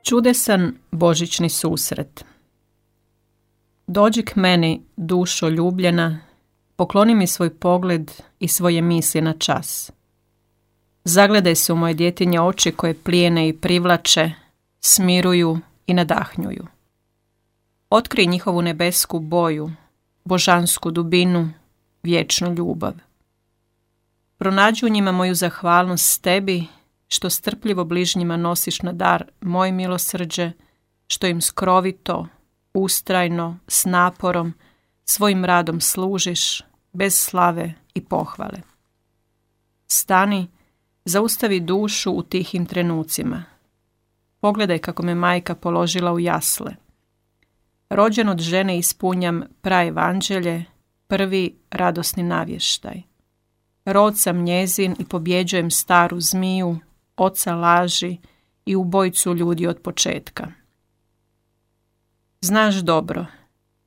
Čudesan božićni susret. Dođi k meni, dušo ljubljena, pokloni mi svoj pogled i svoje misli na čas. Zagledaj se u moje djetinje oči koje plijene i privlače, smiruju i nadahnjuju. Otkrij njihovu nebesku boju, božansku dubinu, vječnu ljubav. Pronađi u njima moju zahvalnost tebi, što strpljivo bližnjima nosiš na dar moje milosrđe, što im skrovito, ustrajno, s naporom, svojim radom služiš, bez slave i pohvale. Stani, zaustavi dušu u tihim trenucima. Pogledaj kako me majka položila u jasle. Rođen od žene ispunjam praevanđelje, prvi radosni navještaj. Rod sam njezin i pobjeđujem staru zmiju, oca laži i ubojicu ljudi od početka. Znaš dobro,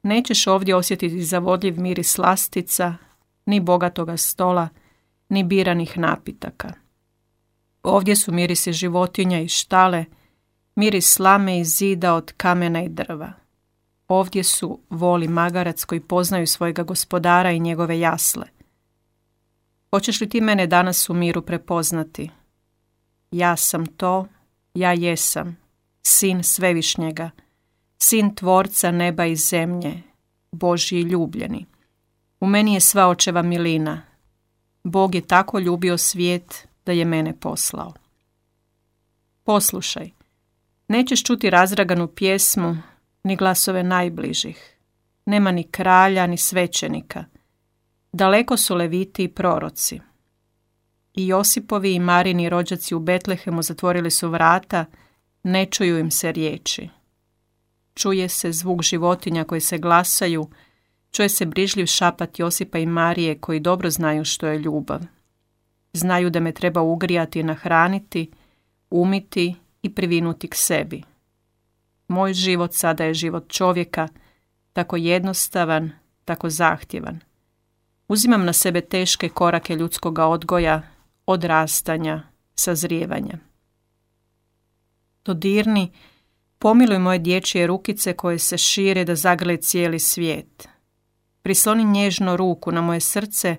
nećeš ovdje osjetiti zavodljiv miris slastica, ni bogatoga stola, ni biranih napitaka. Ovdje su mirisi životinja i štale, miris slame i zida od kamena i drva. Ovdje su voli magarac koji poznaju svojega gospodara i njegove jasle. Hoćeš li ti mene danas u miru prepoznati? Ja sam to, ja jesam, sin Svevišnjega, sin Tvorca neba i zemlje, Božji ljubljeni. U meni je sva očeva milina. Bog je tako ljubio svijet da je mene poslao. Poslušaj, nećeš čuti razraganu pjesmu, ni glasove najbližih. Nema ni kralja, ni svećenika. Daleko su leviti i proroci. I Josipovi i Marini rođaci u Betlehemu zatvorili su vrata, ne čuju im se riječi. Čuje se zvuk životinja koji se glasaju, čuje se brižljiv šapat Josipa i Marije koji dobro znaju što je ljubav. Znaju da me treba ugrijati i nahraniti, umiti i privinuti k sebi. Moj život sada je život čovjeka, tako jednostavan, tako zahtjevan. Uzimam na sebe teške korake ljudskoga odgoja, odrastanja, sazrijevanja. Dodirni, pomiluj moje dječje rukice koje se šire da zagrle cijeli svijet. Prisloni nježno ruku na moje srce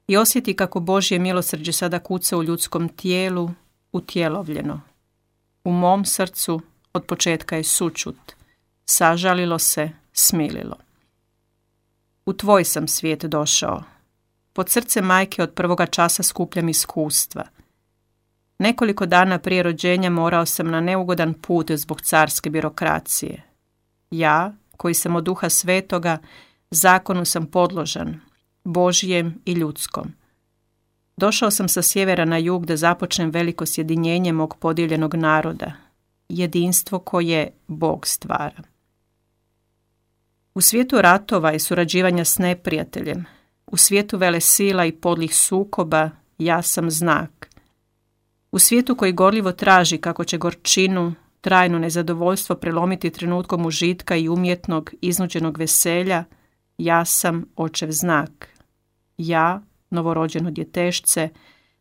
i osjeti kako Božje milosrđe sada kuca u ljudskom tijelu, utjelovljeno. U mom srcu od početka je sućut, sažalilo se, smililo. U tvoj sam svijet došao. Pod srce majke od prvoga časa skupljam iskustva. Nekoliko dana prije rođenja morao sam na neugodan put zbog carske birokracije. Ja, koji sam od Duha Svetoga, zakonu sam podložan, Božjem i ljudskom. Došao sam sa sjevera na jug da započnem veliko sjedinjenje mog podijeljenog naroda, jedinstvo koje Bog stvara. U svijetu ratova i surađivanja s neprijateljem, u svijetu velesila i podlih sukoba, ja sam znak. U svijetu koji gorljivo traži kako će gorčinu, trajno nezadovoljstvo prelomiti trenutkom užitka i umjetnog, iznuđenog veselja, ja sam očev znak. Ja, novorođeno djetešce,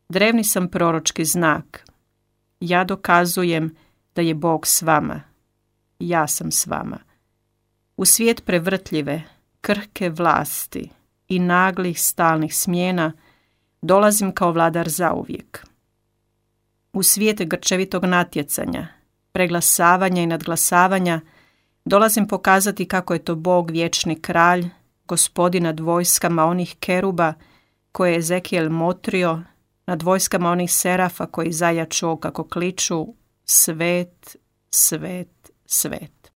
drevni sam proročki znak. Ja dokazujem da je Bog s vama. Ja sam s vama. U svijet prevrtljive, krhke vlasti i naglih stalnih smjena dolazim kao vladar zauvijek. U svijet grčevitog natjecanja, preglasavanja i nadglasavanja dolazim pokazati kako je to Bog vječni kralj, gospodin nad vojskama onih keruba koje je Ezekijel motrio, nad vojskama onih serafa koji zajaču kako kliču svet, svet, svet.